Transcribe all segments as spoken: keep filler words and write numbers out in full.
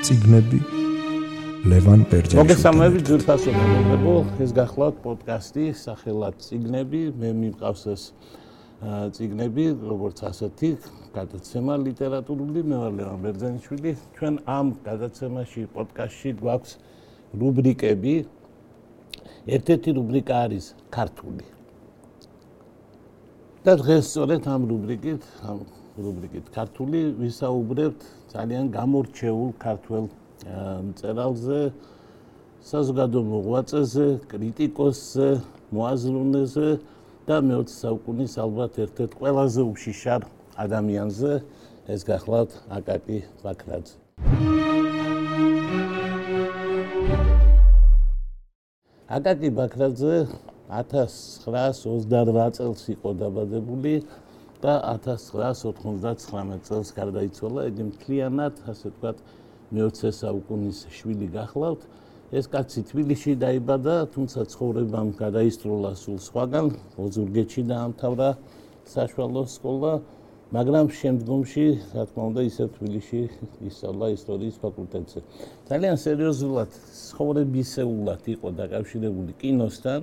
წიგნები ლევან ბერძენიშვილთან. მოგესალმებით ძვირფასო მეგობრებო, ეს გახლავთ პოდკასტი სახელად წიგნები. მე მიმყავს ეს წიგნები, როგორც ასეთი გადაცემა ლიტერატურული. მე ვარ ლევან ბერძენიშვილი. ჩვენ ამ გადაცემაში, პოდკასტში გვაქვს რუბრიკები. ერთ-ერთი რუბრიკა არის ქართული. და დღეს სწორედ ამ რუბრიკით, ამ რუბრიკით ქართული ვისაუბრებთ ძალიან გამორჩეულ ქართველ მწერალზე, საზოგადო მოღვაწეზე, კრიტიკოსზე, მოაზროვნეზე და მეოცე საუკუნის ალბათ ერთ-ერთ ყველაზე უშიშარ ადამიანზე, ეს გახლავთ აკაკი ბაქრაძე. აკაკი ბაქრაძე ათას ცხრაას ოცდარვა წელს იყო დაბადებული და ათას ცხრაას ოთხმოცდათხრამეტ წელს გარდაიცვალა. იგი მთლიანად, ასე ვთქვათ, მეოცე საუკუნის შვილი გახლავთ. ეს კაცი თბილისში დაიბადა, თუმცა ცხოვრებამ გადაისწროლა სულ სხვაგან. ოზურგეთში დაამთავრა საშუალო სკოლა, მაგრამ შემდგომში, რა თქმა უნდა, ისევ თბილისში ისწავლა ისტორიის ფაკულტეტზე. ძალიან სერიოზულად, ცხოვრებისეულად იყო დაკავშირებული კინოსთან,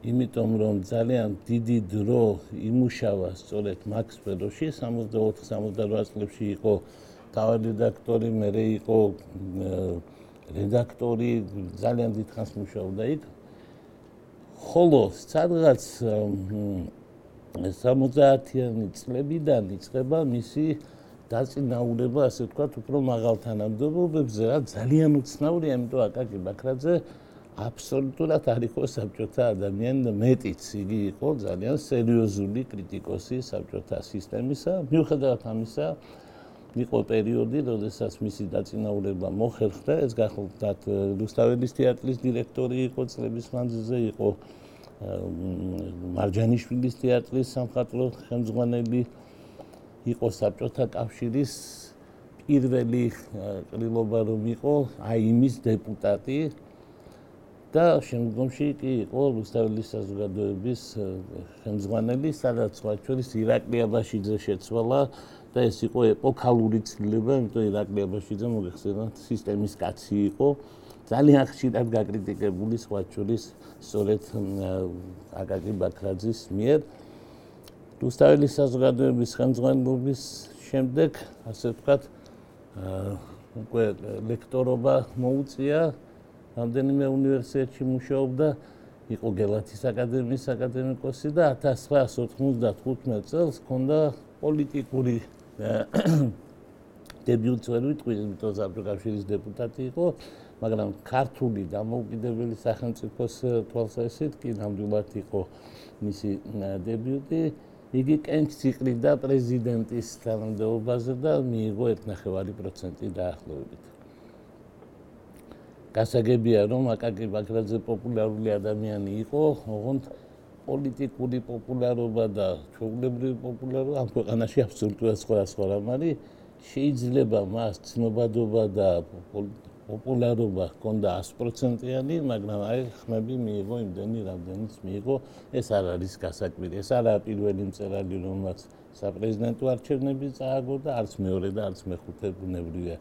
იმიტომ რომ ძალიან დიდი დრო იმუშავა სწორედ მაგ სფეროში. სამოცდაოთხ სამოცდარვა წლებში იყო თავად რედაქტორი, მერე იყო რედაქტორი, ძალიან დიდხანს მუშაობდა იქ. ხოლო სადღაც სამოცდაათიანი წლებიდან იწყება მისი დაწინაურება, ასე ვთქვათ, უფრო მაღალ თანამდებობებზე, რა ძალიან უცნაურია, იმიტომ აკაკი ბაქრაძე აბსოლუტურად არ იყო საბჭოთა ადამიანი და მეტიც იგი იყო ძალიან სერიოზული კრიტიკოსი საბჭოთა სისტემისა. მიუხედავად ამისა, იყო პერიოდი, როდესაც მისი დაწინაურება მოხერხდა. ეს გახლავთ რუსთაველის თეატრის დირექტორი იყო წლების მანძილზე, იყო მარჯანიშვილის თეატრის სამხატვრო ხელმძღვანელი, იყო საბჭოთა კავშირის პირველი ყრილობა რომ იყო აი იმის დეპუტატი და შემდგომში კი იყო რუსთაველის საზოგადოების ხელმძღვანელი, სადაც სხვა შორის ირაკლი აბაშიძე შეცვალა და ეს იყო ეპოქალური ცვლილება, იმიტომ ირაკლი აბაშიძე მოგეხსენებათ სისტემის კაცი იყო, ძალიან ხშირად გაკრიტიკებული სხვა შორის სწორედ აკაკი ბაქრაძის მიერ. რუსთაველის საზოგადოების ხელმძღვანელობის შემდეგ, ასე ვთქვათ, უკვე ლექტორობა მოუწია, რამდენიმე უნივერსიტეტში მუშაობდა, იყო გელათის აკადემიის აკადემიკოსი და ათას ცხრაას ოთხმოცდახუთმეტ წელს ჰქონდა პოლიტიკური დებიუტი, ვერ ვიტყვი, იმიტომ საბჭოთა კავშირის დეპუტატი იყო, მაგრამ ქართული დამოუკიდებელი სახელმწიფოს თვალსაზრისით კი ნამდვილად იყო მისი დებიუტი. იგი კენჭს იყრიდა პრეზიდენტის თანამდებობაზე და მიიღო ერთნახევარი პროცენტი დაახლოებით. გასაგებია, რომ აკაკი ბაქრაძე პოპულარული ადამიანი იყო, ოღონდ პოლიტიკური პოპულარობა და ჩვეულებრივი პოპულარობა ამ ქვეყანაში აბსოლუტურად სხვადასხვა რამ არის. შეიძლება მას ცნობადობა და პოპულარობა ჰქონდა ას პროცენტიანი, მაგრამ აი ხმები მიიღო იმდენი, რამდენიც მიიღო. ეს არ არის გასაკვირი. ეს არაა პირველი მწერალი, რომელმაც საპრეზიდენტო არჩევნები წააგო და არც მეორე და არც მეხუთე ბუნებრივია.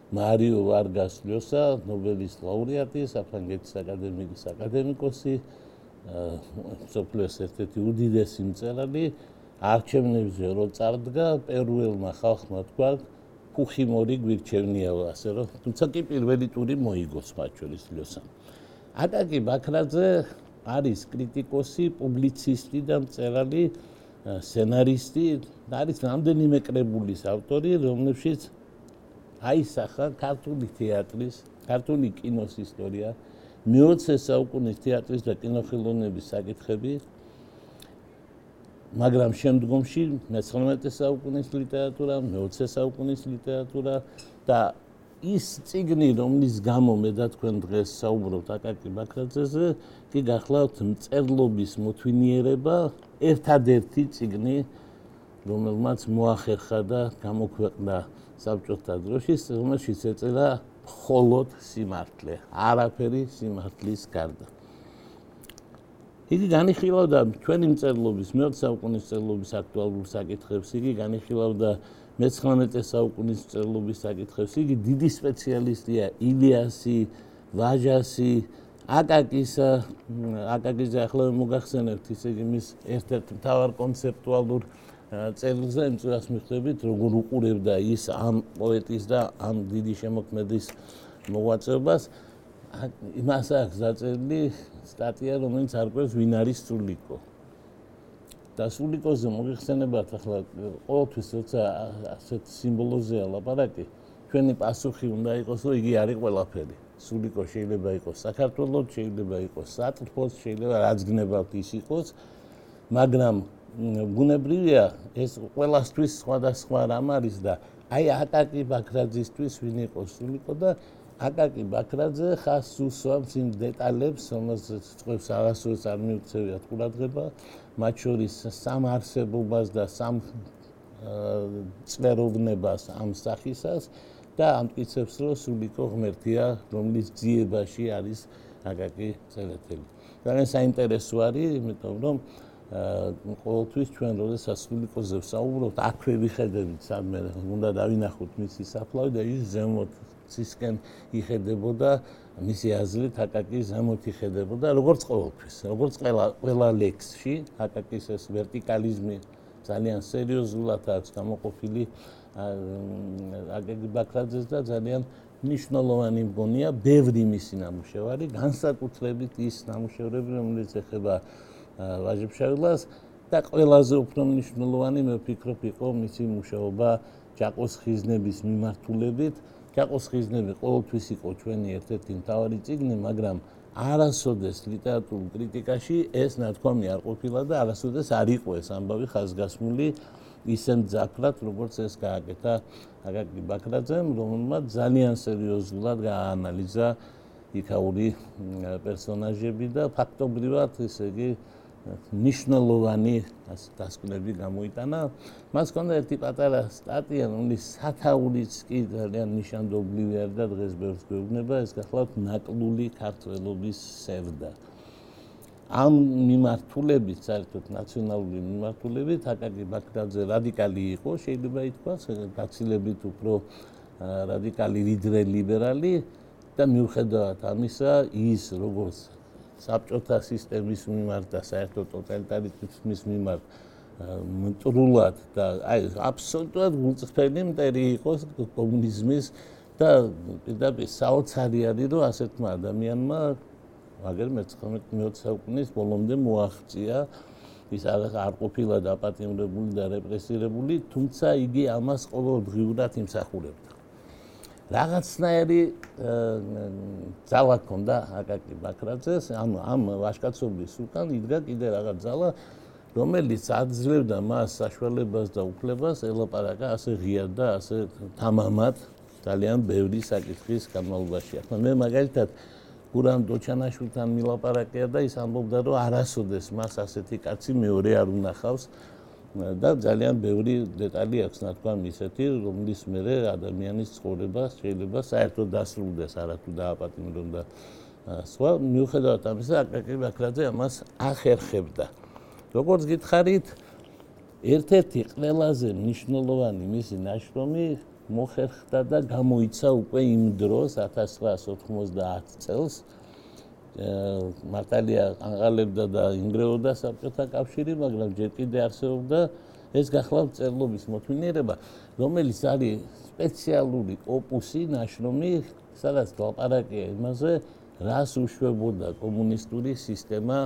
მარიო ვარგას ლიოსა, ნობელის ლაურეატი, საფრანგეთის აკადემიის აკადემიკოსი, მსოფლიოს ერთ-ერთი უდიდესი მწერალი, არჩევნებზე რო წარდგა, პერუელმა ხალხმა თქვა, ფუხიმორი გვირჩევნია, ასე რომ, თუმცა კი პირველი ტური მოიგოს მათ შორის ლიოსამ. აკაკი ბაქრაძე არის კრიტიკოსი, პუბლიცისტი და მწერალი, სცენარისტი, არის რამდენიმე კრებულის ავტორი, რომლებშიც აისახა ქართული თეატრის, ქართული კინოს ისტორია, მეოცე საუკუნის თეატრის და კინოხელოვნების საკითხები, მაგრამ შემდგომში მეცხრამეტე საუკუნის ლიტერატურა, მეოცე საუკუნის ლიტერატურა და ის წიგნი, რომლის გამო მე და თქვენ დღეს საუბრობთ აკაკი ბაქრაძეზე, კი გახლავთ მწერლობის მოთვინიერება, ერთადერთი წიგნი, რომელმაც მოახერხა და გამოქვეყნდა საბჭოთა დროშის, რომელშიც ეწერა მხოლოდ სიმართლე, არაფერი სიმართლის გარდა. იგი განიხილავდა ჩვენი მწერლობის, მეოცე საუკუნის მწერლობის აქტუალურ საკითხებს, იგი განიხილავდა მეცხრამეტე საუკუნის მწერლობის საკითხებს. იგი დიდი სპეციალისტია ილიასი, ვაჟასი, აკაკისა, აკაკიზე ახლა მოგახსენებთ, ისე იგი მის ერთ-ერთ მთავარ კონცეპტუალურ წერილზე იმ წურას მიხვდებით, როგორ უყურებდა ის ამ პოეტის და ამ დიდი შემოქმედის მოღვაწეობას. იმას აქვს დაწერილი სტატია, რომელიც არკვევს ვინ არის სულიკო. და სულიკოზე მოგიხსენებათ ახლა ყოველთვის როცა ასეთ სიმბოლოზეა ლაპარაკი, ჩვენი პასუხი უნდა იყოს, რომ იგი არის ყველაფერი. სულიკო შეიძლება იყოს საქართველოს, შეიძლება იყოს სატრფოს, შეიძლება რაც გნებავთ ის იყოს, მაგრამ ბუნებრივია ეს ყველასთვის სხვადასხვა რამ არის და აი აკაკი ბაქრაძისთვის ვინ იყოს სულიკო და აკაკი ბაქრაძე ხას უსვამს იმ დეტალებს, რომელსაც წყვევს აღასრულს არ მიუქცევიათ ყურადღება, მათ შორის სამ არსებობას და სამ წვეროვნებას ამ სახისას და ამტკიცებს, რომ სულიკო ღმერთია, რომლის ძიებაში არის აკაკი წერეთელი. ძალიან საინტერესო არის, იმიტომ რომ ყოველთვის ჩვენ როდესაც სულიკოზე ვსაუბრობთ, აქვე ვიხედებით სადმე უნდა დავინახოთ მისი საფლავი და ის ზემოთ ცისკენ იხედებოდა, მისი აზრით აკაკი ზემოთ იხედებოდა, როგორც ყოველთვის, როგორც ყველა ყველა ლექსში, აკაკის ეს ვერტიკალიზმი ძალიან სერიოზულად აქვს გამოყოფილი აკაკი ბაქრაძეს და ძალიან მნიშვნელოვანი მგონია ბევრი მისი ნამუშევარი, განსაკუთრებით ის ნამუშევრები, რომელიც ეხება ვაჟებშევლას და ყველაზე უფრო მნიშვნელოვანი მე ვფიქრობ იყო მისი მუშაობა ჯაყოს ხიზნების მიმართულებით. ჯაყოს ხიზნები ყოველთვის იყო ჩვენი ერთ-ერთი მთავარი წიგნი, მაგრამ არასოდეს ლიტერატურულ კრიტიკაში ეს ნათქვამი არ ყოფილა და არასოდეს არ იყო ეს ამბავი ხაზგასმული ისეთ ძაფრად, როგორც ეს გააკეთა აკაკი ბაქრაძემ, რომელმაც ძალიან სერიოზულად გააანალიზა იქაური პერსონაჟები და ფაქტობრივად, ესე იგი, ნიშნულოვანი დასკვნები გამოიტანა. მას ჰქონდა ერთი პატარა სტატია, რომლის სათაურიც კი ძალიან ნიშანდობლივი არის და დღეს ბევრს გვეუბნება, ეს გახლავთ ნაკლული ქართველობის სევდა. ამ მიმართულებით, საერთოდ ნაციონალური მიმართულებით, აკაკი ბაქრაძე რადიკალი იყო, შეიძლება ითქვას, გაცილებით უფრო რადიკალი ვიდრე ლიბერალი და მიუხედავად ამისა, ის როგორც საბჭოთა სისტემის მიმართ და საერთოდ ტოტალიტარიზმის მიმართ მტრულად და აი აბსოლუტურად გულწრფელი მტერი იყო კომუნიზმის და პირდაპირ საოცარი არის, რომ ასეთმა ადამიანმა მაგერ მეცხრამეტე საუკუნის ბოლომდე მოაღწია, ის არ ყოფილა დაპატიმრებული და რეპრესირებული, თუმცა იგი ამას ყოველდღიურად იმსახურებდა. რაღაცნაირი ძალა ჰქონდა აკაკი ბაქრაძეს, ანუ ამ ვაჟკაცობის უკან იდგა კიდე რაღაც ძალა, რომელიც აძლევდა მას საშუალებას და უფლებას ელაპარაკა ასე ღიად და ასე თამამად ძალიან ბევრი საკითხის განმავლობაში. ახლა მე მაგალითად გურამ დოჩანაშვილთან მილაპარაკია და ის ამბობდა, რომ არასოდეს მას ასეთი კაცი მეორე არ უნახავს და ძალიან ბევრი დეტალი აქვს ნათქვამი ისეთი, რომლის მერე ადამიანის ცხოვრება შეიძლება საერთოდ დასრულდეს, არათუ დააპატიმრონ და სხვა. მიუხედავად ამისა, აკაკი ბაქრაძე ამას ახერხებდა. როგორც გითხარით, ერთ-ერთი ყველაზე მნიშვნელოვანი მისი ნაშრომი მოხერხდა და გამოიცა უკვე იმ დროს ათას ცხრაას ოთხმოცდაათ წელს. მართალია ანღალებდა და ინგრეოდა საბჭოთა კავშირი, მაგრამ ჯერ კიდე არსებობდა ეს გახლავთ წერლობის მოთმინიერება, რომელიც არის სპეციალური ოპუსი, ნაშრომი, სადაც ლაპარაკია იმაზე, რას უშვებოდა კომუნისტური სისტემა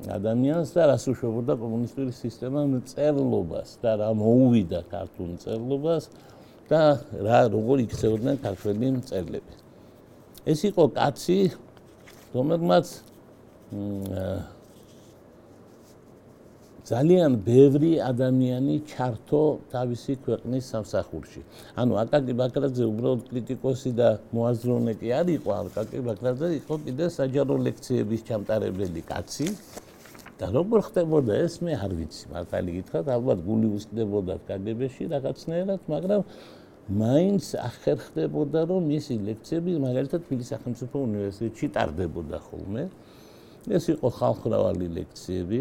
ადამიანს და რას უშვებოდა კომუნისტური სისტემა მწერლობას და რა მოუვიდა ქართულ მწერლობას და რა როგორ იქცეოდნენ ქართველი მწერლები. ეს იყო კაცი, რომელმაც ძალიან ბევრი ადამიანი ჩართო თავისი ქვეყნის სამსახურში. ანუ აკაკი ბაქრაძე უბრალოდ კრიტიკოსი და მოაზროვნე კი არ იყო, აკაკი ბაქრაძე იყო კიდე საჯარო ლექციების ჩამტარებელი კაცი და როგორ ხდებოდა ეს მე არ ვიცი, მართალი გითხრათ, ალბათ გული უსხდებოდა კაგებეში რაღაცნაირად, მაგრამ მაინც ახერხდებოდა, რომ მისი ლექციები მაგალითად თბილისის სახელმწიფო უნივერსიტეტში ტარდებოდა ხოლმე. ეს იყო ხალხმრავალი ლექციები.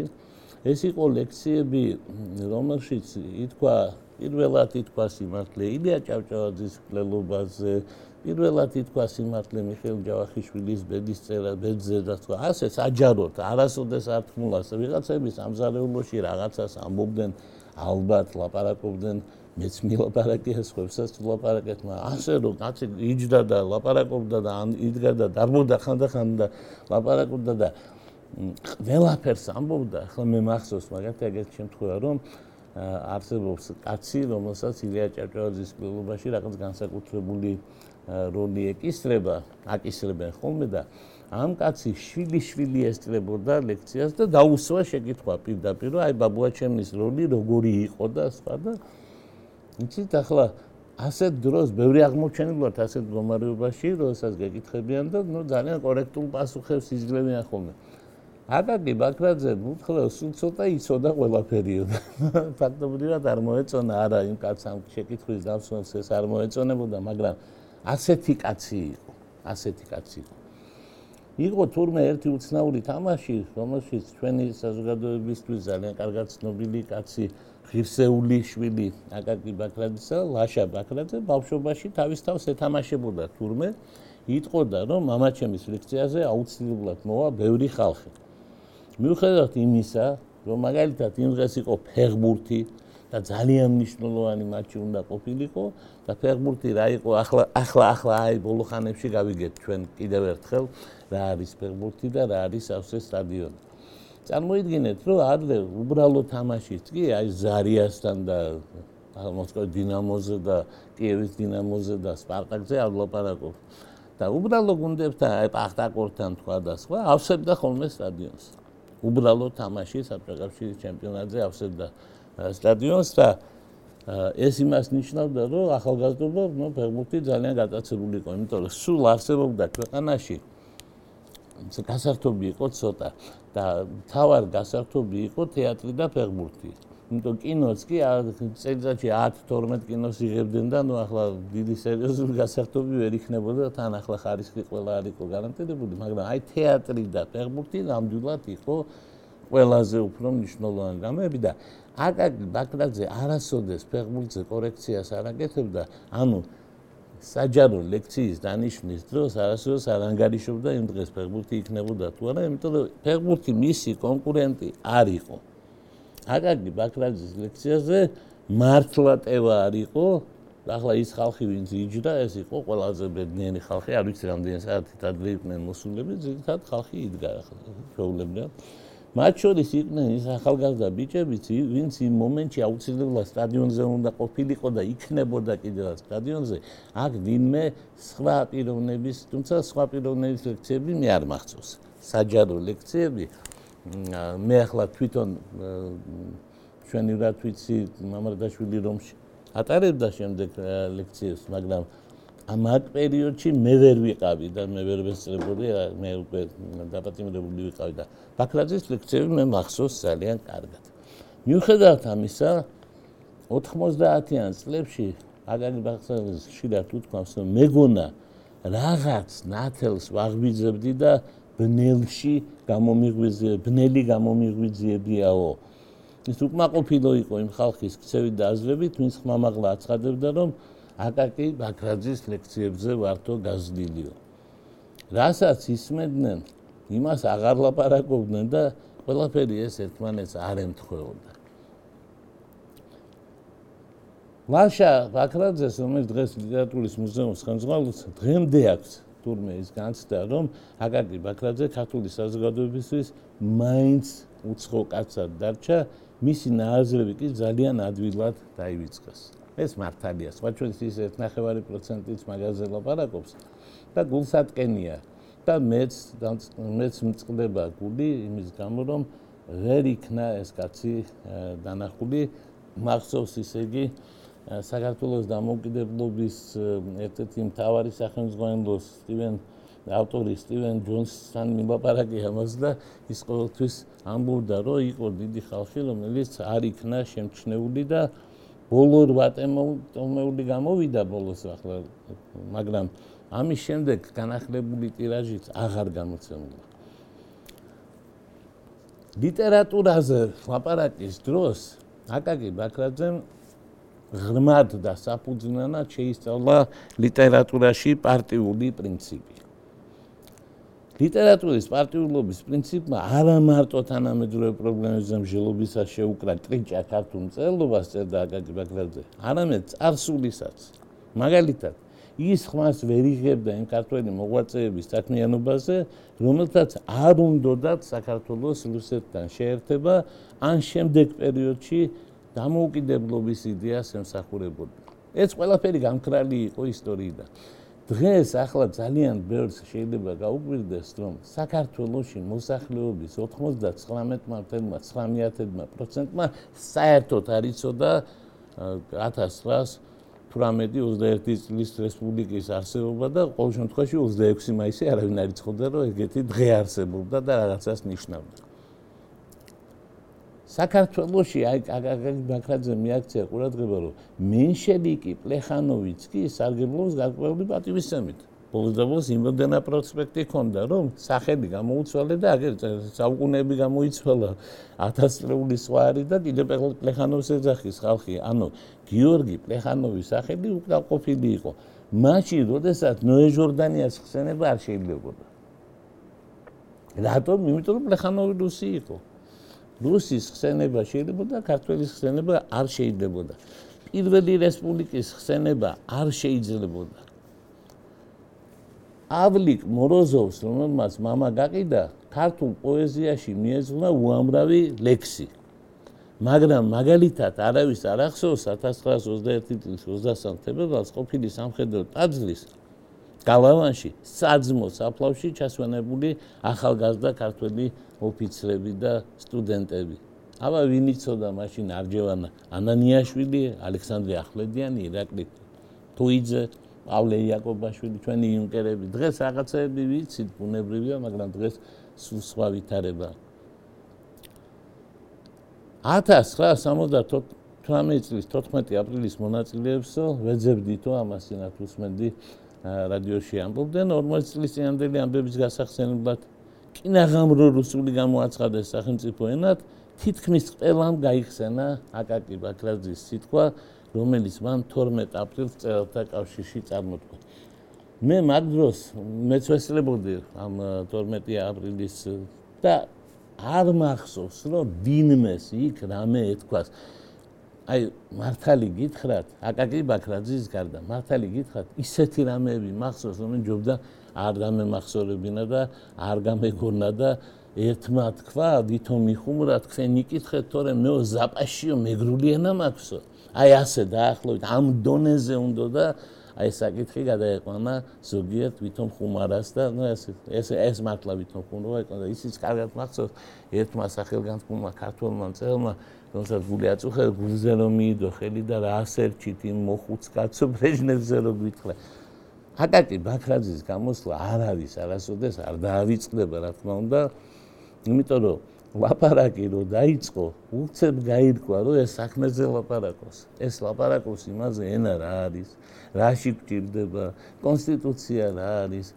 ეს იყო ლექციები, რომელშიც ითქვა პირველად ითქვა სიმართლე ილია ჭავჭავაძის მკვლელობაზე, პირველად ითქვა სიმართლე მიხეილ ჯავახიშვილის ბედისწერა ბედზე და სხვა. ასე საჯაროდ არასოდეს არ თქმულას ვიღაცები სამზარეულოში რაღაცას ამბობდნენ, ალბათ ლაპარაკობდნენ, მეც მილაპარაკია სხვებსაც ლაპარაკეთ, მაგრამ ასე რომ კაცი იჯდა და ლაპარაკობდა და იდგა და დარბოდა ხანდახან და ლაპარაკობდა და ყველაფერს ამბობდა. ახლა მე მახსოვს მაგათი ეგეთი შემთხვევა, რომ არსებობს კაცი, რომელსაც ილია ჭავჭავაძის მკვლელობაში რაღაც განსაკუთრებული როლი ეკისრება, აკისრებენ ხოლმე და ამ კაცი შვილი-შვილი ესწრებოდა ლექციას და დაუსვა შეკითხვა პირდაპირ, რომ აი ბაბუაჩემის როლი როგორი იყო და სხვა და იცით ახლა ასეთ დროს ბევრი აღმოჩენილობთ ასეთ მდგომარეობაში, როდესაც გეკითხებიან და ნუ ძალიან კორექტულ პასუხებს იძლევიან ხოლმე. აკაკი ბაქრაძე უთხრა სულ ცოტა იცოდა ყველაფერიო. ფაქტობრივად არ მოეწონა არა იმ კაცს ამ შეკითხვის დავსვენს ეს არ მოეწონებოდა, მაგრამ ასეთი კაცი იყო, ასეთი კაცი იყო. იყო თურმე ერთი უცნაური თამაში, რომელშიც ჩვენი საზოგადოებისთვის ძალიან კარგად ცნობილი კაცი ღირსეული შვილი აკაკი ბაქრაძისა, ლაშა ბაქრაძე ბავშვობაში თავის თავს ეთამაშებოდა თურმე, იტყოდა რომ მამაჩემის ლექციაზე აუცილებლად მოვა ბევრი ხალხი. მიუხედავად იმისა, რომ მაგალითად იმ დღეს იყო ფეხბურთი და ძალიან მნიშვნელოვანი მატჩი უნდა ყოფილიყო და ფეხბურთი რა იყო ახლა ახლა ახლა აი ბოლო ხანებში გავიგეთ ჩვენ კიდევ ერთხელ რა არის ფეხბურთი და რა არის სავსე სტადიონი. წარმოიდგინეთ, რომ ადრე უბრალო თამაშიც კი აი ზარიასთან და მოსკოვის დინამოზე და კიევის დინამოზე და სპარტაკზე არ ლაპარაკობ. და უბრალო გუნდებთან აი პახტაკორთან თქვა და სხვა ავსებდა ხოლმე სტადიონს. უბრალო თამაში საბჭოთა კავშირის ჩემპიონატზე ავსებდა სტადიონს და ეს იმას ნიშნავდა, რომ ახალგაზრდობა, ნუ ფეხბურთი ძალიან გატაცებული იყო, იმიტომ რომ სულ არსებობდა ქვეყანაში გასართობი იყო ცოტა და თავარ გასართობი იყო თეატრი და ფეხბურთი. იმიტომ კინოც კი წელიწადში ათი თორმეტი კინოს იღებდნენ და ნუ ახლა დიდი სერიოზული გასართობი ვერ იქნებოდა, თან ახლა ხარისხი ყველა არ იყო გარანტირებული, მაგრამ აი თეატრი და ფეხბურთი ნამდვილად იყო ყველაზე უფრო მნიშვნელოვანი რამეები და აკაკი ბაქრაძე არასოდეს ფეხბურთზე კორექციას არ აკეთებდა, ანუ საჯარო ლექციის დანიშვნის დროს არასოდეს არ ანგარიშობდა იმ დღეს ფეხბურთი იქნებოდა თუ არა, იმიტომ რომ ფეხბურთი მისი კონკურენტი არ იყო. აკაკი ბაქრაძის ლექციაზე მართლა ტევა არ იყო, ახლა ის ხალხი ვინც იჯდა, ეს იყო ყველაზე ბედნიერი ხალხი, არ ვიცი რამდენი საათით ადრე იყვნენ მოსულები, ძირითადად ხალხი იდგა ახლა ჩვეულებრივად. მათ შორის იყვნენ ის ახალგაზრდა ბიჭებიც, ვინც იმ მომენტში აუცილებლად სტადიონზე უნდა ყოფილიყო და იქნებოდა კიდევაც სტადიონზე, აქ ვინმე სხვა პიროვნების, თუმცა სხვა პიროვნების ლექციები მე არ მახსოვს. საჯარო ლექციები მე ახლა თვითონ ჩვენი რა თვიცი მამარდაშვილი რომში ატარებდა შემდეგ ლექციებს, მაგრამ ამ აქ პერიოდში მე ვერ ვიყავი და მე ვერ ვესწრებოდი, მე უკვე დაპატიმრებული ვიყავი და ბაქრაძის ლექციები მე მახსოვს ძალიან კარგად. მიუხედავად ამისა, ოთხმოცდაათიან წლებში აკაკი ბაქრაძის ხშირად უთქვამს, რომ მეგონა რაღაც ნათელს ვაღვიძებდი და ბნელში გამომიღვიძე, ბნელი გამომიღვიძიებიაო. ის უკმაყოფილო იყო იმ ხალხის ქცევით და აზრებით, ვინც ხმამაღლა აცხადებდა, რომ აკაკი ბაქრაძის ლექციებზე ვართო გაზრდილიო. რასაც ისმენდნენ, იმას აღარ ლაპარაკობდნენ და ყველაფერი ეს ერთმანეთს არ ემთხვეოდა. ლაშა ბაქრაძეს, რომელიც დღეს ლიტერატურის მუზეუმის ხელმძღვანელია, დღემდე აქვს თურმე ის განცდა, რომ აკაკი ბაქრაძე ქართული საზოგადოებისთვის მაინც უცხო კაცად დარჩა, მისი ნააზრევი კი ძალიან ადვილად დაივიწყეს. ეს მართალია, სხვა ჩვენს ის ერთი ნახევარი პროცენტიც მაგაზე ლაპარაკობს და გულსატკენია და მეც მეც მწყდება გული იმის გამო, რომ ვერ იქნა ეს კაცი დანახული, მახსოვს ისე იგი საქართველოს დამოუკიდებლობის ერთ-ერთი მთავარი სახელმძღვანელოს სტივენ ავტორი სტივენ ჯონსთან მილაპარაკე ამას და ის ყოველთვის ამბობდა, რომ იყო დიდი ხალხი, რომელიც არ იქნა შემჩნეული და ბოლო რვა ტომეული გამოვიდა ბოლოს ახლა, მაგრამ ამის შემდეგ განახლებული ტირაჟიც აღარ გამოცემულა. ლიტერატურაზე ლაპარაკის დროს აკაკი ბაქრაძემ ღრმად და საფუძვლიანად შეისწავლა ლიტერატურაში პარტიული პრინციპი. ლიტერატურის პარტიულობის პრინციპმა არა მარტო თანამედროვე პრობლემებზე მსჯელობისას შეუკრა ტრიჭა ქართულ მწერლობას, წერდა აკაკი ბაქრაძე, არამედ წარსულისაც. მაგალითად, ის ხმას ვერ იღებდა იმ ქართველი მოღვაწეების საქმიანობაზე, რომელთაც არ უნდოდათ საქართველოს რუსეთთან შეერთება, ან შემდეგ პერიოდში დამოუკიდებლობის იდეას ემსახურებოდა. ეს ყველაფერი გამქრალი იყო ისტორიიდან. დღეს ახლა ძალიან ბევრს შეიძლება გაუკვირდეს, რომ საქართველოში მოსახლეობის ოცდათხმეტ ცხრამეტ პროცენტმა საერთოდ არ იცოდა ათას ცხრაას თვრამეტი ოცდაერთი წლის რესპუბლიკის არსებობა და ყოველ შემთხვევაში ოცდაექვსი მაისი არავინ არ იცოდა, რომ ეგეთი დღე არსებობდა და რაღაცას ნიშნავდა. საქართველოში აი აკაკი ბაქრაძე მიაქცია ყურადღება, რომ მენშევიკი პლეხანოვიც კი სარგებლობს გარკვეული პატივისცემით. ბოლოს და ბოლოს იმდენა პროსპექტი ჰქონდა, რომ სახელი გამოუცვალე და აგერ საუკუნეები გამოიცვალა ათასწლეული სხვა არის და კიდევ პლეხანოვს ეძახის ხალხი. ანუ გიორგი პლეხანოვის სახელი უკმაყოფილი იყო. მაშინ, როდესაც ნოე ჟორდანიას ხსენება არ შეიძლებოდა. რატომ? იმიტომ რომ პლეხანოვი რუსი იყო. რუსის ხსენება შეიძლებოდა, ქართველის ხსენება არ შეიძლებოდა. პირველი რესპუბლიკის ხსენება არ შეიძლებოდა. ავლიკ მოროზოვს, რომელმაც მამა გაყიდა, ქართულ პოეზიაში მიეძღვნა უამრავი ლექსი. მაგრამ მაგალითად არავის არ ახსოვს ათას ცხრაას ოცდაერთი წლის ოცდასამ თებერვალს ყოფილი სამხედრო ტაძრის გალავანში საძმო საფლავში ჩასვენებული ახალგაზრდა ქართველი ოფიცრები და სტუდენტები. აბა ვინ იცოდა მაშინ არჯევანა ანანიაშვილი, ალექსანდრე ახვლედიანი, ირაკლი თუიძე, პავლე იაკობაშვილი, ჩვენი იუნკერები. დღეს რაღაცეები ვიცით, ბუნებრივია, მაგრამ დღეს სულ სხვა ვითარებაა. ათას ცხრაას სამოცდათვრამეტი წლის თოთხმეტი აპრილის მონაწილეებსო ვეძებდითო ამას წინათ უსმენდი რადიოში ამბობდნენ, ორმოცი წლის წინანდელი ამბების გასახსენებლად კინაღამრო რუსული გამოაცხადეს სახელმწიფო ენად, თითქმის ყველამ გაიხსენა აკაკი ბაქრაძის სიტყვა, რომელიც მან თორმეტ აპრილს მწერალთა კავშირში წარმოთქვა. მე მაგ დროს მეც ვესწრებოდი ამ თორმეტი აპრილის და არ მახსოვს, რომ ვინმეს იქ რამე ეთქვას. აი მართალი გითხრათ, აკაკი ბაქრაძის გარდა, მართალი გითხრათ, ისეთი რამეები მახსოვს, რომ ჯობდა არ გამემახსოვრებინა და არ გამეგონა და ერთმა თქვა, ვითომ იხუმრა, თქვენ იკითხეთ, თორემ მეო ზაპაშიო მეგრული ენა მაქვსო. აი ასე დაახლოებით ამ დონეზე უნდა და აი საკითხი გადაეყვანა ზოგიერთ ვითომ ხუმარას და ნუ ეს ეს ეს მართლა ვითომ ხუმრობა იყო და ისიც კარგად მახსოვს ერთმა სახელგანთქმულმა ქართველმა მწერალმა, რომელსაც გული აწუხა, გულზე რომ მიიდო ხელი და რა ასერჩით იმ მოხუც კაცო ბრეჟნევზე რომ გითხრა. აკაკი ბაქრაძის გამოსვლა არ არის არასოდეს არ დაავიწყდება, რა თქმა უნდა, იმიტომ რომ ლაპარაკი რო დაიწყო, უცებ გაირკვა, რომ ეს საქმეზე ლაპარაკობს. ეს ლაპარაკობს იმაზე, ენა რა არის, რაში გვჭირდება, კონსტიტუცია რა არის.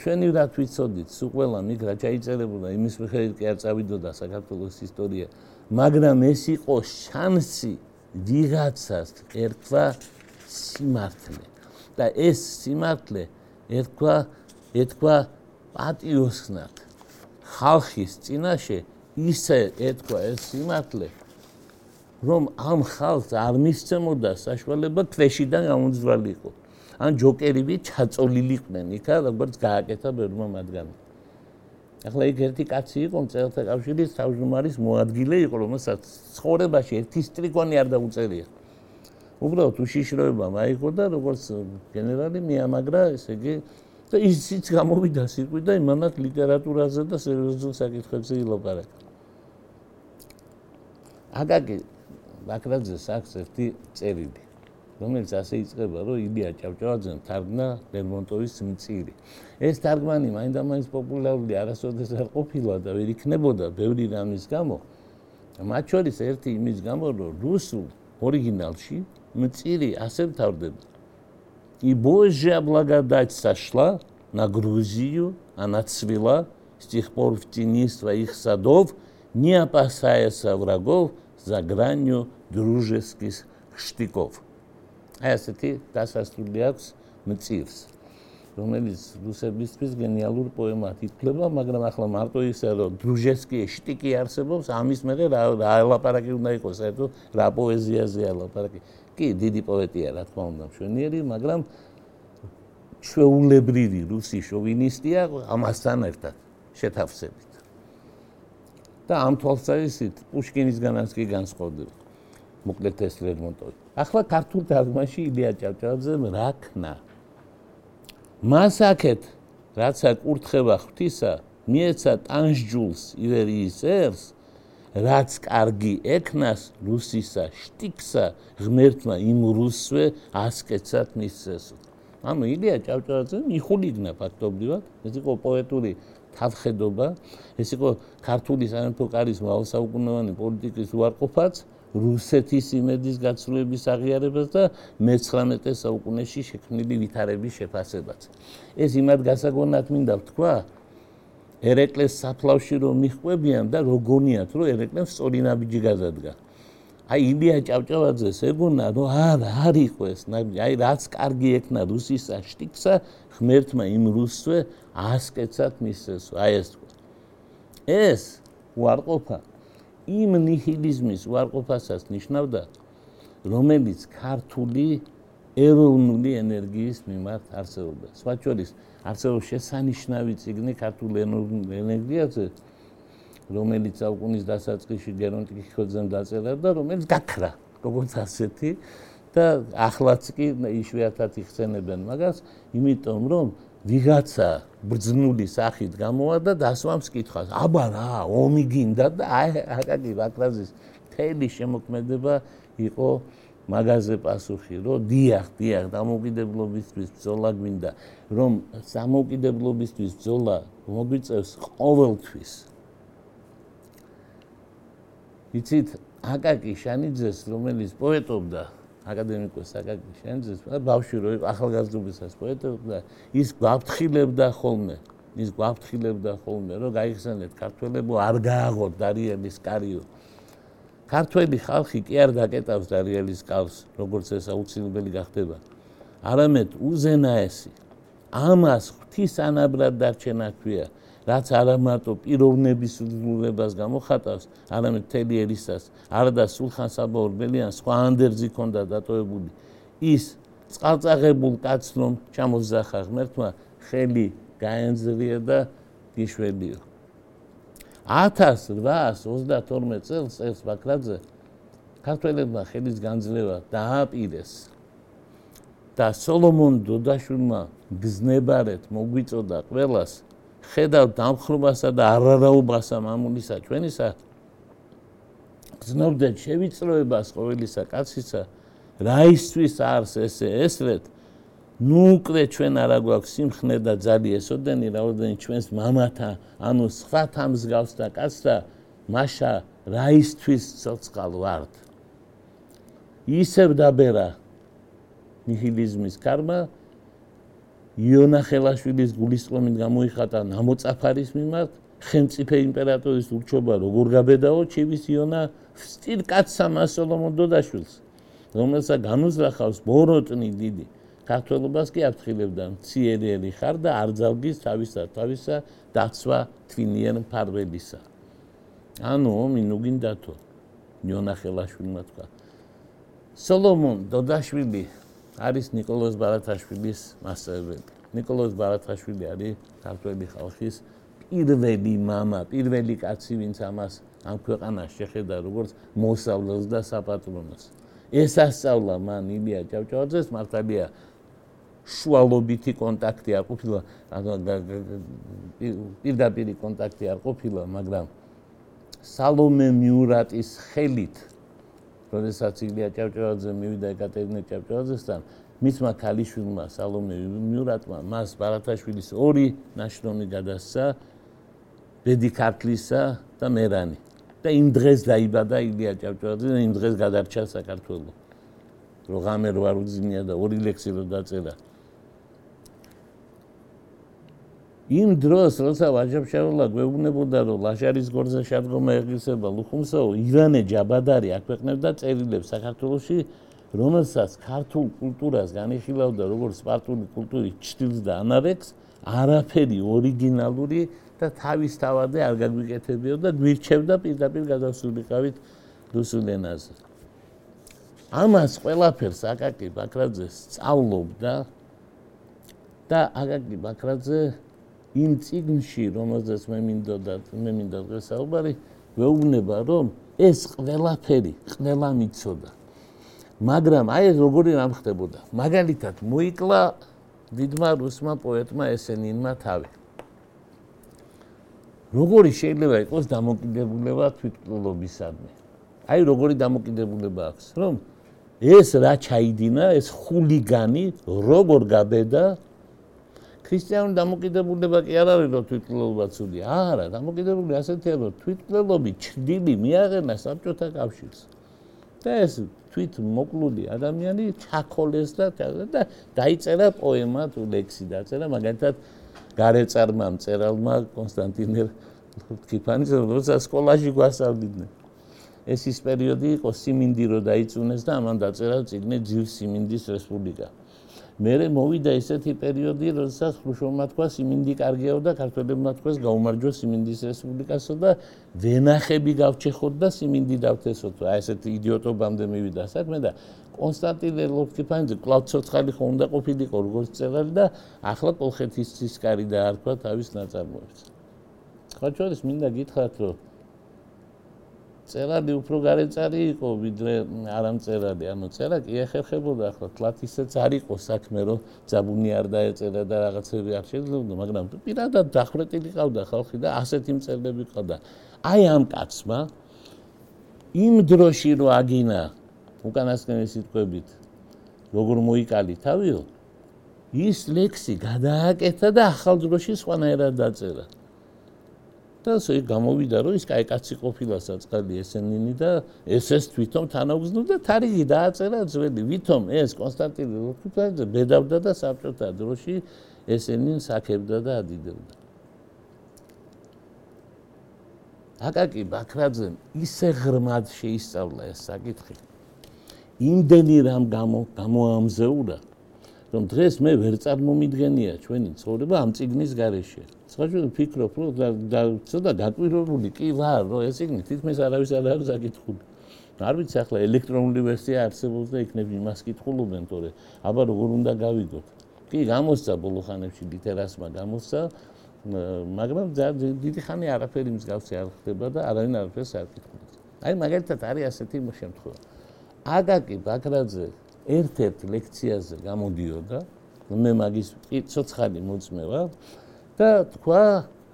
შვენივრად ვიცოდით, სულ ყველა მიგ რა ჩაიწერებოდა, იმის მიხედვით კი არ წავიდოდა საქართველოს ისტორია. მაგრამ ეს იყო შანსი ვიღაცას ერქვა სიმართლე. და ეს სიმართლე ერქვა ეთქვა პატიოსნად. ხალხის წინაშე ისე ეთქვა ეს სიმართლე, რომ ამ ხალხს არ მისცემოდა საშუალება ქვეშიდან გამომძვრალიყო. ან ჯოკერივი ჩაწოლილიყვნენ იქა, როგორც გააკეთა ბევრმა მათგანმა. ახლა იქ ერთი კაცი იყო, მწერალთა კავშირის თავმჯდომარის მოადგილე იყო, რომელსაც ცხოვრებაში ერთი სტრიქონი არ დაუწერია. უბრალოდ უშიშროება მაიღო და როგორც გენერალი მიამაგრა, ესე იგი და ისიც გამოვიდა სიტყვით და იმანად ლიტერატურაზე და სერიოზულ საკითხებზე ილაპარაკა. აკაკი ბაქრაძეს აქვს ერთი წერილი, რომელიც ასე იწყება, რომ ილია ჭავჭავაძემ თარგმნა ლერმონტოვის მწირი. ეს თარგმანი მაინდამაინც პოპულარული არასოდეს არ ყოფილა და ვერ იქნებოდა ბევრი რამის გამო. მათ შორის ერთი იმის გამო, რომ რუსულ ორიგინალში მწირი ასე მთავრდება. И Божья благодать сошла на Грузию, она цвела с тех пор в тени своих садов, не опасаясь врагов за гранью дружеских штыков. აი ასეთი დასასრული აქვს მწირს, რომელიც რუსებისთვის გენიალურ პოემად ითვლება, მაგრამ ახლა მარტო ისე რომ დრუჟესკიეს შტიკი არსებობს, ამის მერე რა რა ელაპარაკი უნდა იყოს, საერთოდ რა პოეზიაზე ელაპარაკი. კი, დიდი პოეტია, რა თქმა უნდა, მშვენიერი, მაგრამ ჩვეულებრივი რუსი შოვინისტია ამასთან ერთად შეთავსებით. და ამ თვალსაზრისით პუშკინისგანაც კი განსხვავდება. მოკლედ ეს ლერმონტოვი. ახლა ქართულ თარგმანში ილია ჭავჭავაძემ რა ქნა? მას აქეთ, რაცა კურთხება ღვთისა, მიეცა ტანსჯულს ივერიის ერს, რაც კარგი ექნას რუსისა შტიკსა, ღმერთმა იმ რუსვე ასკეცად მისცესო. ანუ ილია ჭავჭავაძემ იხულიგნა ფაქტობრივად, ეს იყო პოეტური თავხედობა, ეს იყო ქართული სამეფო კარის მრავალსაუკუნოვანი პოლიტიკის უარყოფაც, რუსეთის იმედის გაცვლების აღიარებას და მეცხრამეტე საუკუნეში შექმნილი ვითარების შეფასებაც. ეს იმად გასაგონად მინდა ვთქვა, ერეკლეს საფლავში რომ მიჰყვებიან და როგონიათ, რომ ერეკლემ სწორი ნაბიჯი გადადგა. აი ილია ჭავჭავაძეს ეგონა, რომ არა, არ იყო ეს ნაბიჯი, აი რაც კარგი ექნა რუსისა შტიკსა, ღმერთმა იმ რუსვე ასკეცად მისცესო. აი ეს თქვა. ეს უარყოფა იმ ნიჰილიზმის უარყოფასაც ნიშნავდა, რომელიც ქართული ეროვნული ენერგიის მიმართ არსებობდა. სხვა შორის არსებობს შესანიშნავი წიგნი ქართულ ეროვნულ ენერგიაზე, რომელიც საუკუნის დასაწყისში გერონტი ქიქოძემ დაწერა და რომელიც გაქრა, როგორც ასეთი და ახლაც კი იშვიათად იხსენებენ მაგას, იმიტომ რომ ვიღაცა ბრძნული სახით გამოვა და დასვამს კითხვას. აბა რა, ომი გინდა და აი აკაკი ბაქრაძის მთელი შემოქმედება იყო მაგაზე პასუხი, რომ დიახ, დიახ, დამოუკიდებლობისთვის ბრძოლა გვინდა, რომ დამოუკიდებლობისთვის ბრძოლა მოგვიწევს ყოველთვის. იცით, აკაკი შანიძეს, რომელიც პოეტობდა, აკადემიკოს აკაკი შანიძეს, ბავშვი რო იყო ახალგაზრდობისას პოეტობდა, ის გვაფრთხილებდა ხოლმე, ის გვაფრთხილებდა ხოლმე, რომ გაიხსენეთ ქართველებო, არ გააღოთ დარიელის კარიო. ქართველი ხალხი კი არ დაკეტავს დარიელის კავს, როგორც ეს აუცილებელი გახდება. არამედ უზენაესი, ამას ღვთისანაბრად დარჩენა ჰქვია, რაც არა მარტო პიროვნების უძლურებას გამოხატავს, არამედ მთელი ერისას, არადა სულხან-საბა ორბელიანს სხვა ანდერძი ჰქონდა დატოვებული. ის წყალწაღებულ კაცს რომ ჩამოსძახა ღმერთმა, ხელი გაენძლია და გიშველიო. ათას რვაას ოცდათორმეტ წელს წელს ბაქრაძე ქართველებმა ხელის განძლევა დააპირეს და სოლომონ დოდაშვილმა გზნებარეთ მოგვიწოდა ყველას ხედავ დამხრობასა და არარაობასა მამულისა ჩვენისა გზნობდეთ შევიწროებას ყოველისა კაცისა რაისთვის არს ესე ესრეთ ნუ უკვე ჩვენ არა გვაქვს სიმხნე და ძალი ესოდენი რაოდენი ჩვენს მამათა ანუ სხვათა მსგავსთა კაცთა მაშა რაისთვის ცოცხალ ვართ ისევ დაბერა ნიჰილიზმის კარმა იონა ხელაშვილის გულისწყლომით გამოიხატა ნამოწაფარის მიმართ ხელმწიფე იმპერატორის ურჩობა როგორ გაბედაო ჩივის იონა სტილ კაცსა მასოლომონ დოდაშვილს რომელსაც განუზრახავს ბოროტნი დიდი ქართველობას კი აფრთხილებდა მციერი ხარ და არ ძალგის თავისა თავისა დაცვა თვინიერ მფარველისა ანუ ომი ნუ გინდათო იონა ხელაშვილმა თქვა სოლომონ დოდაშვილი არის ნიკოლოზ ბარათაშვილის მასწავლებელი. ნიკოლოზ ბარათაშვილი არის ქართველი ხალხის პირველი მამა, პირველი კაცი, ვინც ამას ამ ქვეყანას შეხედა როგორც მოსავლელს და საპატრონოს. ეს ასწავლა მან ილია ჭავჭავაძეს, მართალია შუალობითი კონტაქტი არ ყოფილა, პირდაპირი კონტაქტი არ ყოფილა, მაგრამ სალომე მიურატის ხელით როდესაც ილია ჭავჭავაძე მივიდა ეკატერინე ჭავჭავაძესთან, მისმა ქალიშვილმა სალომე მიურატმა მას ბარათაშვილის ორი ნაშრომი გადასცა, ბედი ქართლისა და მერანი. და იმ დღეს დაიბადა ილია ჭავჭავაძე და იმ დღეს გადარჩა საქართველო. რო ღამე რო არ უძინია და ორი ლექსი რო დაწერა. იმ დროს, როცა ვაჟა-ფშაველა გვეუბნებოდა, რომ ლაშარის გორზე შადგომა ეღირსება ლუხუმსაო, ივანე ჯაბადარი აქვეყნებდა წერილებს საქართველოში რომელსაც ქართულ კულტურას განიხილავდა როგორც სპარტული კულტურის ჭრილს და ანარეგს, არაფერი ორიგინალური და თავისთავად არ გაგვიკეთებიო და გვირჩევდა პირდაპირ გადასულიყავით რუსულ ენაზე. ამას ყველაფერს აკაკი ბაქრაძე სწავლობდა და აკაკი ბაქრაძე იმ წიგნში, რომელზეც მე მინდოდა მე მინდა დღეს საუბარი, ვეუბნება, რომ ეს ყველაფერი ყველა მიცოდა. მაგრამ აი ეს როგორი რამ ხდებოდა. მაგალითად, მოიკლა დიდმა რუსმა პოეტმა ესენინმა თავი. როგორი შეიძლება იყოს დამოკიდებულება თვითმკვლელობისადმი? აი როგორი დამოკიდებულება აქვს, რომ ეს რა ჩაიდინა, ეს ხულიგანი როგორ გაბედა ქრისტიანული დამოკიდებულება კი არ არის, რომ თვითმკვლელობა ცუდია. არა, დამოკიდებული ასეთია, რომ თვითმკვლელობით ჩრდილი მიაღენა საბჭოთა კავშირს. და ეს თვითმოკლული ადამიანი ჩაქოლეს და და დაიწერა პოემა თუ ლექსი დაწერა, მაგალითად გარეწარმა მწერალმა კონსტანტინე ლორთქიფანის, როცა სკოლაში გვასწავლიდნენ. ეს ის პერიოდი იყო, სიმინდი რო დაიწუნეს და ამან დაწერა წიგნი ძირ სიმინდის რესპუბლიკა. მერე მოვიდა ესეთი პერიოდი, როდესაც ხრუშოვმა თქვა სიმინდი კარგიაო და ქართველებმა თქვეს გაუმარჯო სიმინდის რესპუბლიკასო და ვენახები გავჩეხოთ და სიმინდი დავთესოთ. აი ესეთი იდიოტობამდე მივიდა საქმე და კონსტანტინე ლორთქიფანიძე კვლავ ცოცხალი ხო უნდა ყოფილიყო როგორც წერალი და ახლა კოლხეთის ცისკარი დაარქვა თავის ნაწარმოებს. სხვა შორის მინდა გითხრათ, რომ წერალი უფრო გარეწარი იყო ვიდრე არამწერალი, ანუ წერა კი ეხერხებოდა, ახლა თლათ ისეც არ იყო საქმე, რომ ძაბუნი არ დაეწერა და რაღაცები არ შეძლებოდა, მაგრამ პირადად დახვრეტილი ყავდა ხალხი და ასეთი მწერლები ყავდა. აი ამ კაცმა იმ დროში რო აგინა უკანასკნელი სიტყვებით, როგორ მოიკალი თავიო, ის ლექსი გადააკეთა და ახალ დროში სხვანაირად დაწერა. და ესე გამოვიდა, რომ ის კაი კაცი ყოფილა საწყალი ესენინი და ეს ეს თვითონ თანაუგზნო და თარიღი დააწერა ძველი, ვითომ ეს კონსტანტინე ლორთქიფანიძე ბედავდა და საბჭოთა დროში ესენინს აქებდა და ადიდებდა. აკაკი ბაქრაძემ ისე ღრმად შეისწავლა ეს საკითხი, იმდენი რამ გამოამზეურა, რომ დღეს მე ვერ წარმომიდგენია ჩვენი ცხოვრება ამ წიგნის გარეშე. სხვაგვარად ვფიქრობ, რომ და ცოტა გაკვირვებული კი ვარ, რომ ეს წიგნი თითქმის არავის არ არის აკითხული. არ ვიცი ახლა ელექტრონული ვერსია არსებობს და იქნებ იმას კითხულობენ, თორე აბა როგორ უნდა გავიგოთ. კი გამოსცა ბოლო ხანებში ლიტერასმა გამოსცა, მაგრამ დიდი ხანი არაფერი მსგავსი არ ხდება და არავინ არაფერს არ კითხულობს. აი მაგალითად არის ასეთი შემთხვევა. აკაკი ბაქრაძე ერთ-ერთ ლექციაზე გამოდიოდა, მე მაგის ცოცხალი მოწმე ვარ და თქვა,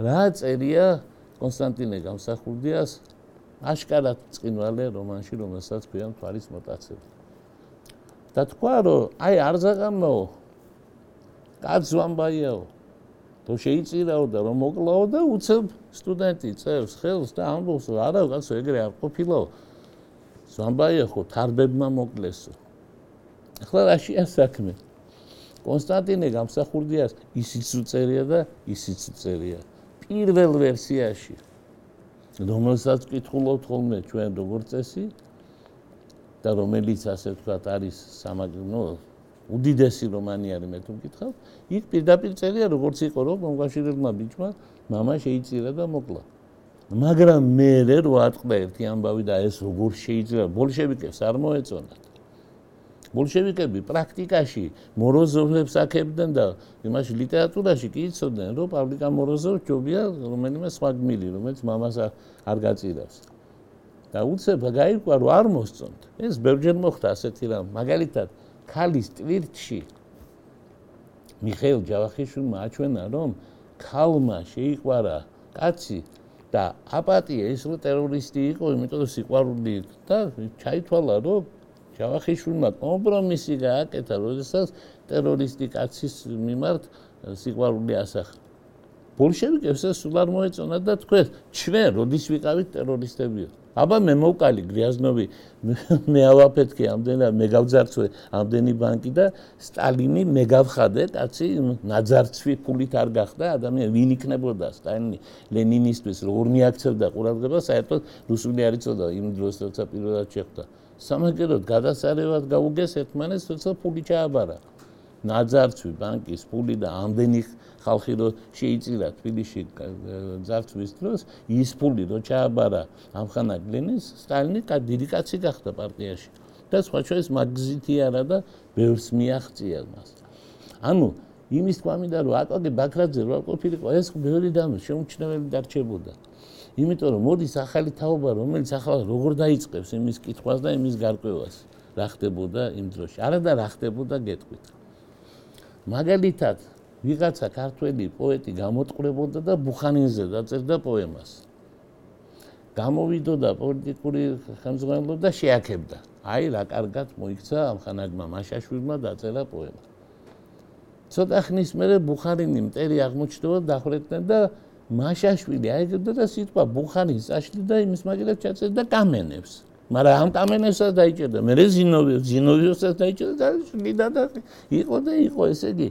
რა წერია კონსტანტინე გამსახურდიას აშკარად წინვალე რომანში, რომელსაც ქვია მთვარის მოტაცება. და თქვა, რომ აი არ ზაღამაო, კაცს ვამბაიაო, თუ შეიწირაო და რომ მოკლაო და უცებ სტუდენტი წევს ხელს და ამბობს, რომ არა კაცო, ეგრე არ ყოფილაო. ზვამბაია ხო თარბებმა მოკლესო. ახლა რაშია საქმე? კონსტანტინე გამსახურდიას ისიც უწერია და ისიც უწერია. პირველ ვერსიაში, რომელსაც ვკითხულობთ ხოლმე ჩვენ როგორც წესი და რომელიც ასე ვთქვათ არის სამაგნო უდიდესი რომანი არის მე თუ მკითხავ, იქ პირდაპირ წერია როგორც იყო რომ მომკავშირებელმა ბიჭმა მამა შეიწირა და მოკლა. მაგრამ მე რო ატყდა ერთი ამბავი და ეს როგორ შეიძლება ბოლშევიკებს არ მოეწონათ. ბოლშევიკები პრაქტიკაში მოროზოვებს აქებდნენ და იმაში ლიტერატურაში კი იცოდნენ, რომ პავლიკა მოროზოვი ჯობია რომელიმე სხვა გმირი, რომელიც მამას არ გაწირავს. და უცებ გაირკვა, რომ არ მოსწონთ. ეს ბევრჯერ მოხდა ასეთი რამ. მაგალითად, ქალის ტვირთში მიხეილ ჯავახიშვილმა აჩვენა, რომ ქალმა შეიყვარა კაცი და აპატია ის რომ ტერორისტი იყო, იმიტომ რომ სიყვარული და ჩაითვალა, რომ ჯავახიშვილმა კომპრომისი გააკეთა, როდესაც ტერორისტი კაცის მიმართ სიყვარული ასახა. ბოლშევიკებს ეს სულ არ მოეწონა და თქვენ, ჩვენ როდის ვიყავით ტერორისტებიო? აბა მე მოვკალი გრიაზნოვი, მე ავაფეთქე ამდენად, მე გავძარცვე ამდენი ბანკი და სტალინი მე გავხადე, კაცი ნაძარცვი ფულით არ გახდა ადამიანი, ვინ იქნებოდა სტალინი ლენინისტვის, როგორ მიაქცევდა ყურადღებას, საერთოდ რუსული არ იცოდა იმ დროს, როცა პირველად შეხვდა. სამაგეროდ გადასარევად გაუგეს ერთმანეთს, თორსა ფული ჩააბარა. ნაძარცვი ბანკის ფული და ამდენი ხალხი რო შეიწირა თბილისში ძარცვის დროს, ის ფული რო ჩააბარა ამხანა გლენის, სტალინი დიდი კაცი გახდა პარტიაში. და სხვა შორის მაგზითი არა და ბევრს მიაღწია მას. ანუ იმის თქვა მინდა რომ აკაკი ბაქრაძე რო არ ყოფილიყო, ეს ბევრი დამი შეუმჩნეველი დარჩებოდა. იმიტომ რომ მოდის ახალი თაობა, რომელიც ახლა როგორ დაიწყებს იმის კითხვას და იმის გარკვევას, რა ხდებოდა იმ დროში. არა და რა ხდებოდა გეტყვით. მაგალითად, ვიღაცა ქართველი პოეტი გამოტყვრებოდა და ბუხანინზე დაწერდა პოემას. გამოვიდოდა პოლიტიკური ხელმძღვანელობა და შეაქებდა. აი რა კარგად მოიქცა ამხანაგმა მაშაშვილმა დაწერა პოემა. ცოტა ხნის მერე ბუხარინი მტერი აღმოჩნდება დახვრეტდნენ და მაშაშვილი აიგებდა და სიტყვა ბუხარის წაშლი და იმის მაგალითად ჩაწერდა კამენებს. მაგრამ ამ კამენებსაც დაიჭერდა. მერე ზინოვიოს, ზინოვიოსაც დაიჭერდა და შლიდა და იყო და იყო, ესე იგი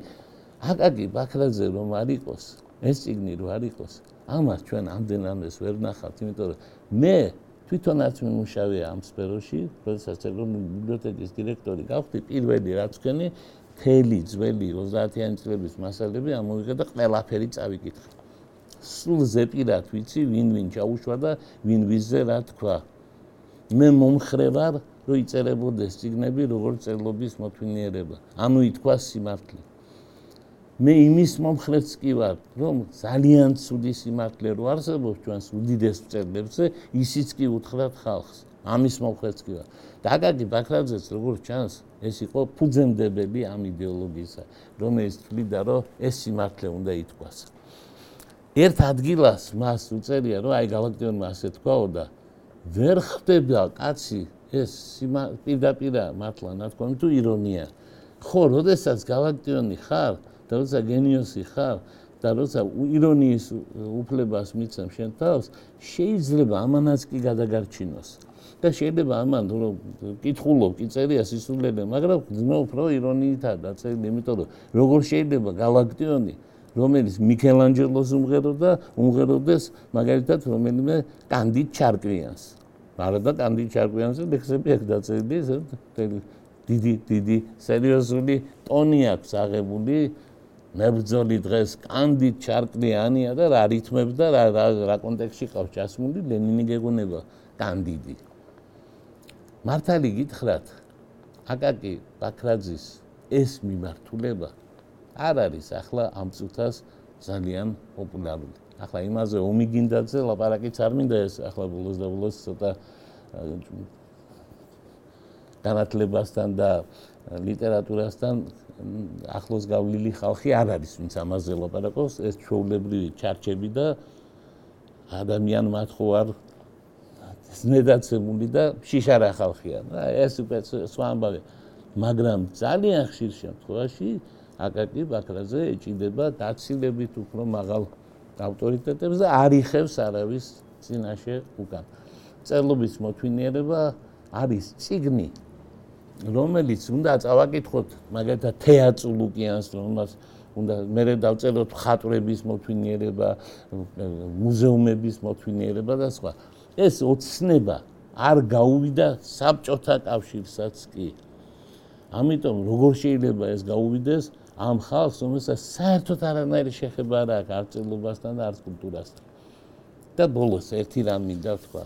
აკაკი ბაქრაძე რომ არ იყოს, ეს წიგნი რომ არ იყოს, ამას ჩვენ ამდენადაც ვერ ნახავთ, იმიტომ რომ მე თვითონაც მიმუშავე ამ სფეროში, როდესაც ეროვნული ბიბლიოთეკის დირექტორი გავხდი, პირველი რაც ვქენი, მთელი ძველი ოცდაათიანი წლების მასალები ამოვიღე და ყველაფერი წავიკითხე. სულ ზეპირად ვიცი, ვინ ვინ ჩაუშვა და ვინ ვიზზე რა თქვა. მე მომხრე ვარ, რომ იწერებოდეს წიგნები, როგორც წერლობის მოთვინიერება. ანუ ითქვა სიმართლე. მე იმის მომხრეც კი ვარ, რომ ძალიან ცუდი სიმართლე რო არსებობს ჩვენს უდიდეს მწერლებზე, ისიც კი უთხრათ ხალხს. ამის მომხრეც კი ვარ. და აკაკი ბაქრაძეც როგორც ჩანს, ეს იყო ფუძემდებელი ამ იდეოლოგიისა, რომელიც თვლიდა, რომ ეს სიმართლე უნდა ითქვას. ერთ ადგილას მას უწერია, რომ აი გალაქტიონმა ასე თქვაო და ვერ ხდება კაცი ეს პირდაპირა მართლა ნათქვამი თუ ირონია. ხო, როდესაც გალაქტიონი ხარ და როცა გენიოსი ხარ და როცა ირონიის უფლებას მიცემ შენ თავს, შეიძლება ამანაც კი გადაგარჩინოს. და შეიძლება ამან რომ კითხულობ, კი წერია სისულელე, მაგრამ ძმობ რომ ირონიითაა დაწერილი, იმიტომ რომ როგორ შეიძლება გალაქტიონი რომელიც მიქელანჯელოს უმღეროდა, უმღეროდეს მაგალითად რომელიმე კანდიდ ჩარკვიანს. არა და კანდიდ ჩარკვიანზე ლექსები აქვს დაწერილი, დიდი დიდი სერიოზული ტონი აქვს აღებული. მებრძოლი დღეს კანდიდ ჩარკვიანია და რა რითმებს და რა რა კონტექსტში ყავს ჩასმული, ლენინი გეგონება კანდიდი. მართალი გითხრათ, აკაკი ბაქრაძის ეს მიმართულება არ არის ახლა ამ წუთას ძალიან პოპულარული. ახლა იმაზე ომი გინდაძე ლაპარაკიც არ მინდა ეს ახლა ბოლოს და ბოლოს ცოტა განათლებასთან და ლიტერატურასთან ახლოს გავლილი ხალხი არ არის, ვინც ამაზე ლაპარაკობს, ეს ჩვეულებრივი ჩარჩები და ადამიან მათხოვ არ ზნედაცემული და შიშარა ხალხია. ეს უკვე სხვა ამბავია. მაგრამ ძალიან ხშირ შემთხვევაში აკაკი ბაქრაძე ეჭიდება დაცილებით უფრო მაღალ ავტორიტეტებს და არ იხევს არავის წინაშე უკან. წერლობის მოთვინიერება არის წიგნი, რომელიც უნდა წავაკითხოთ მაგალითად თეატრ ლუკიანს, რომელსაც უნდა მერე დავწეროთ მხატვრების მოთვინიერება, მუზეუმების მოთვინიერება და სხვა. ეს ოცნება არ გაუვიდა საბჭოთა კავშირსაც კი. ამიტომ როგორ შეიძლება ეს გაუვიდეს ამ ხალხს, რომელსაც საერთოდ არანაირი შეხება არ აქვს არც წერლობასთან და არც კულტურასთან. და ბოლოს ერთი რამ მინდა ვთქვა.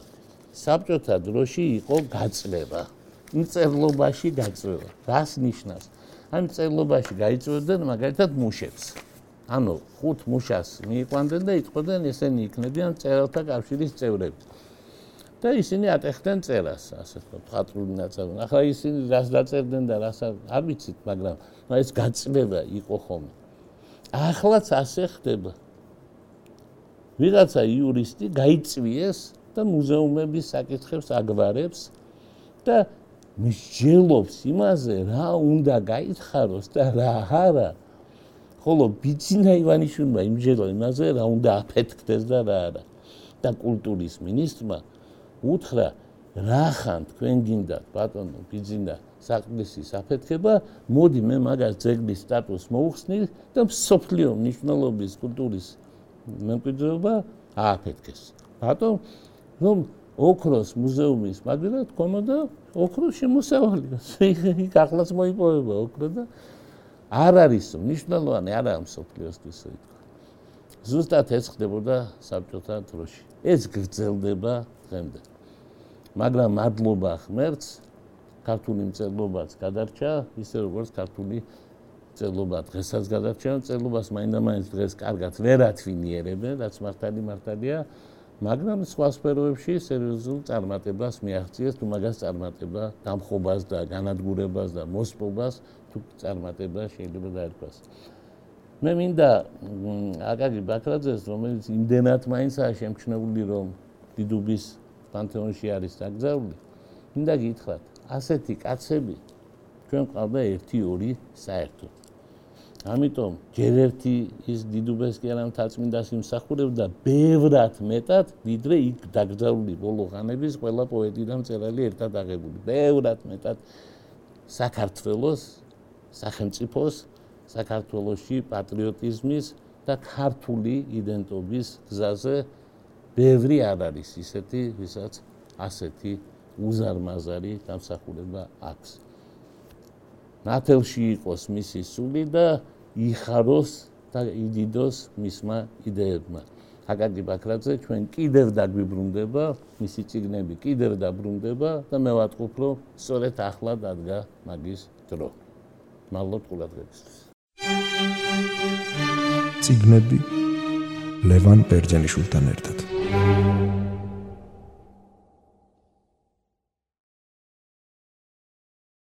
საბჭოთა დროში იყო გაწლება. მწერლობაში გაწლება. რას ნიშნავს? ამ წერლობაში გაიწვევდნენ მაგალითად მუშებს. ანუ ხუთ მუშას მიიყვანდნენ და იტყოდნენ ესენი იქნებიან მწერალთა კავშირის წევრები. და ისინი ატეხდნენ წერას, ასე ვთქვათ, მხატვრული ნაწარმოები. ახლა ისინი რას დაწერდნენ და რას არ ვიცით, მაგრამ ეს გაწლება იყო ხოლმე. ახლაც ასე ხდება. ვიღაცა იურისტი გაიწვიეს და მუზეუმების საკითხებს აგვარებს და მსჯელობს იმაზე, რა უნდა გაითხაროს და რა არა. ხოლო ბიძინა ივანიშვილმა იმსჯელა იმაზე, რა უნდა აფეთქდეს და რა არა. და კულტურის მინისტრმა უთხრა, რა ხან თქვენ გინდათ ბატონო ბიძინა საყდისის აფეთქება, მოდი მე მაგას ძეგლის სტატუსს მოუხსნით და მსოფლიო მნიშვნელობის კულტურის მემკვიდრეობა ააფეთქეს. ბატონ რომ ოქროს მუზეუმის მაგალითად ქონოდა ოქროს შემოსავალი. იქ ახლაც მოიპოვება ოქრო და არ არის მნიშვნელოვანი არ არის მსოფლიოსთვის ითქვა. ზუსტად ეს ხდებოდა საბჭოთა დროში. ეს გრძელდება დღემდე. მაგრამ მადლობა ღმერთს, ქართული მწერლობაც გადარჩა, ისე როგორც ქართული მწერლობა დღესაც გადარჩა, მწერლობას მაინდა-მაინც დღეს კარგად ვერ ათვინიერებენ, რაც მართალი მართალია, მაგრამ სხვა სფეროებში სერიოზულ წარმატებას მიაღწიეს, თუ მაგას წარმატება, დამხობას და განადგურებას და მოსპობას თუ წარმატება შეიძლება დაერქვას. მე მინდა აკაკი ბაქრაძეს, რომელიც იმდენად მაინცაა შემჩნეული, რომ დიდუბის პანთეონში არის დაკრძალული, მინდა გითხრათ, ასეთი კაცები ჩვენ ყავდა ერთი ორი საერთოდ. ამიტომ ჯერ ერთი ის დიდუბეს კი არა მთაწმინდას იმსახურებდა ბევრად მეტად, ვიდრე იქ დაკრძალული ბოლო ხანების ყველა პოეტი და მწერალი ერთად აღებული. ბევრად მეტად საქართველოს, სახელმწიფოს, საქართველოში პატრიოტიზმის და ქართული იდენტობის გზაზე ბევრი არ არის ისეთი, ვისაც ასეთი უზარმაზარი დამსახურება აქვს. ნათელში იყოს მისი სული და იხაროს და იდიდოს მისმა იდეებმა. აკაკი ბაქრაძე ჩვენ კიდევ დაგვიბრუნდება, მისი წიგნები კიდევ დაბრუნდება და მე ვატყობ, რომ სწორედ ახლა დადგა მაგის დრო. მადლობ ყურადღებისთვის. წიგნები ლევან ბერძენიშვილთან ერთად.